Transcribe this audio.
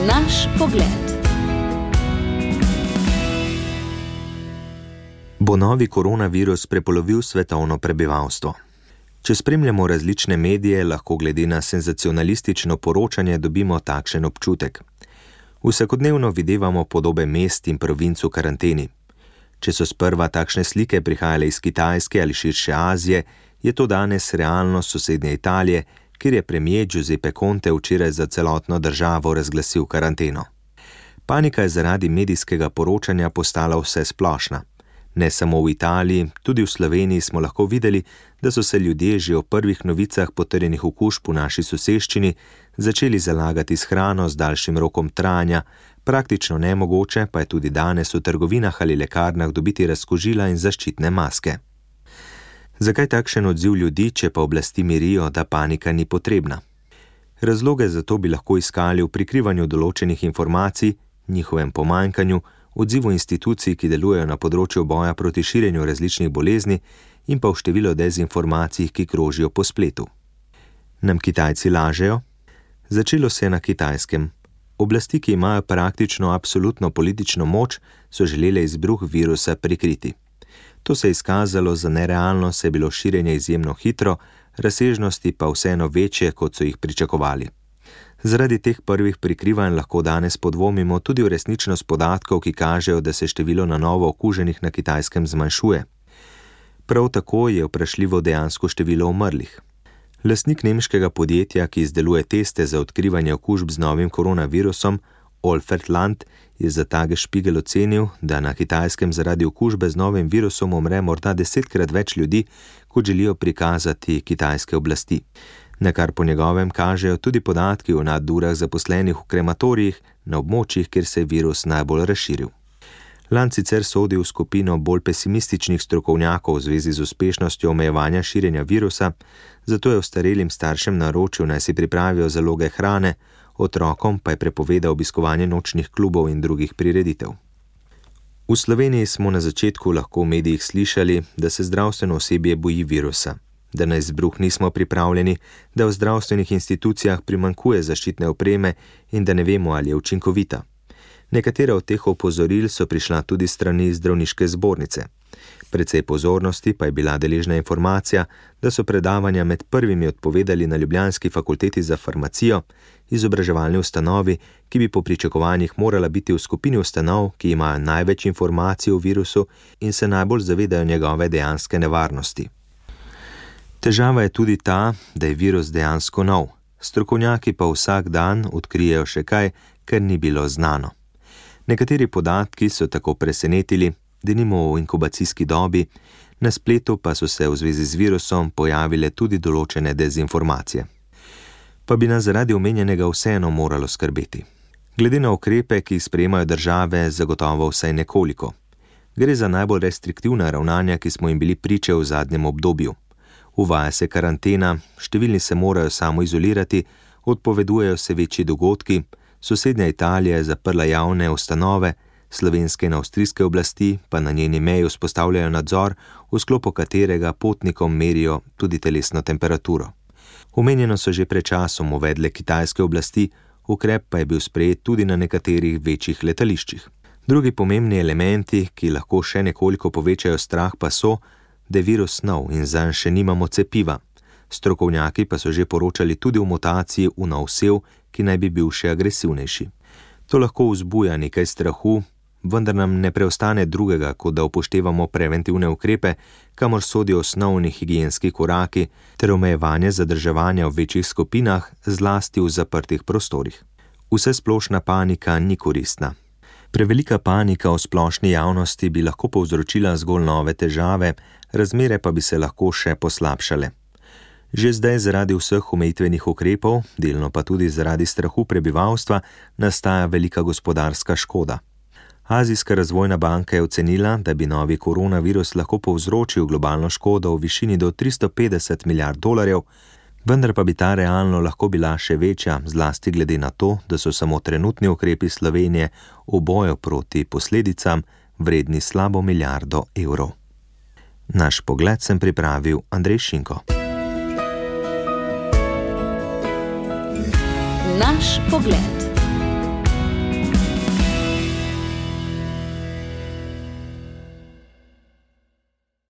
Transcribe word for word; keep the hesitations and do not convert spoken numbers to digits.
Naš pogled. Bo novi koronavirus prepolovil svetovno prebivalstvo? Če spremljamo različne medije, lahko glede na senzacionalistično poročanje dobimo takšen občutek. Vsakodnevno videvamo podobe mest in provinc v karanteni. Če so sprva takšne slike prihajale iz Kitajske ali širše Azije, je to danes realnost sosednje Italije, kjer je premier Giuseppe Conte včeraj za celotno državo razglasil karanteno. Panika je zaradi medijskega poročanja postala vse splošna. Ne samo v Italiji, tudi v Sloveniji smo lahko videli, da so se ljudje že o prvih novicah potrjenih okužb v naši soseščini začeli zalagati s hrano z daljšim rokom trajanja, praktično nemogoče pa je tudi danes v trgovinah ali lekarnah dobiti razkužila in zaščitne maske. Zakaj takšen odziv ljudi, če pa oblasti mirijo, da panika ni potrebna? Razloge za to bi lahko iskali v prikrivanju določenih informacij, njihovem pomanjkanju, odzivu institucij, ki delujejo na področju boja proti širjenju različnih bolezni in pa v število dezinformacij, ki krožijo po spletu. Nam Kitajci lažejo? Začelo se je na Kitajskem. Oblasti, ki imajo praktično absolutno politično moč, so želele izbruh virusa prikriti. To se je izkazalo za nerealno, saj je bilo širjenje izjemno hitro, razsežnosti pa vseeno večje, kot so jih pričakovali. Zaradi teh prvih prikrivanj lahko danes podvomimo tudi v resničnost podatkov, ki kažejo, da se število na novo okuženih na Kitajskem zmanjšuje. Prav tako je vprašljivo dejansko število umrlih. Lastnik nemškega podjetja, ki izdeluje teste za odkrivanje okužb z novim koronavirusom, Olfert Land, je za Tagesspiegel ocenil, da na Kitajskem zaradi okužbe z novim virusom umre morda desetkrat več ljudi, kot želijo prikazati kitajske oblasti. Na kar po njegovem kažejo tudi podatki o nadurah zaposlenih v krematorijih na območjih, kjer se je virus najbolj razširil. Land sicer sodi v skupino bolj pesimističnih strokovnjakov v zvezi z uspešnostjo omejevanja širjenja virusa, zato je ostarelim staršem naročil, naj si pripravijo zaloge hrane, otrokom pa je prepovedal obiskovanje nočnih klubov in drugih prireditev. V Sloveniji smo na začetku lahko v medijih slišali, da se zdravstveno osebje boji virusa, da na izbruh nismo pripravljeni, da v zdravstvenih institucijah primanjkuje zaščitne opreme in da ne vemo, ali je učinkovita. Nekatera od teh opozoril so prišla tudi strani zdravniške zbornice. Precej pozornosti pa je bila deležna informacija, da so predavanja med prvimi odpovedali na ljubljanski fakulteti za farmacijo, izobraževalni ustanovi, ki bi po pričakovanjih morala biti v skupini ustanov, ki imajo največ informacij o virusu in se najbolj zavedajo njegove dejanske nevarnosti. Težava je tudi ta, da je virus dejansko nov. Strokovnjaki pa vsak dan odkrijejo še kaj, kar ni bilo znano. Nekateri podatki so tako presenetili, denimo v inkubacijski dobi, na spletu pa so se v zvezi z virusom pojavile tudi določene dezinformacije. Pa bi nas zaradi omenjenega vseeno moralo skrbeti. Glede na ukrepe, ki jih sprejemajo države, zagotovo vsaj nekoliko. Gre za najbolj restriktivna ravnanja, ki smo jim bili priče v zadnjem obdobju. Uvaja se karantena, številni se morajo samo izolirati, odpovedujejo se večji dogodki, sosednja Italija je zaprla javne ustanove, slovenske in avstrijske oblasti pa na njeni meji vzpostavljajo nadzor, v sklopu katerega potnikom merijo tudi telesno temperaturo. Omenjeno so že pred časom uvedle kitajske oblasti, ukrep pa je bil sprejet tudi na nekaterih večjih letališčih. Drugi pomembni elementi, ki lahko še nekoliko povečajo strah, pa so, da je virus nov in zanj še nimamo cepiva. Strokovnjaki pa so že poročali tudi o mutaciji v nov sev, ki naj bi bil še agresivnejši. To lahko vzbuja nekaj strahu, vendar nam ne preostane drugega, kot da upoštevamo preventivne ukrepe, kamor sodijo osnovni higienski koraki ter omejevanje zadrževanja v večjih skupinah, zlasti v zaprtih prostorih. Vsesplošna panika ni koristna. Prevelika panika v splošni javnosti bi lahko povzročila zgolj nove težave, razmere pa bi se lahko še poslabšale. Že zdaj zaradi vseh omejitvenih ukrepov, delno pa tudi zaradi strahu prebivalstva, nastaja velika gospodarska škoda. Azijska razvojna banka je ocenila, da bi novi koronavirus lahko povzročil globalno škodo v višini do tristo petdeset milijard dolarjev, vendar pa bi ta realno lahko bila še večja, zlasti glede na to, da so samo trenutni ukrepi Slovenije v boju proti posledicam vredni slabo milijardo evrov. Naš pogled sem pripravil Andrej Šinko. Naš pogled.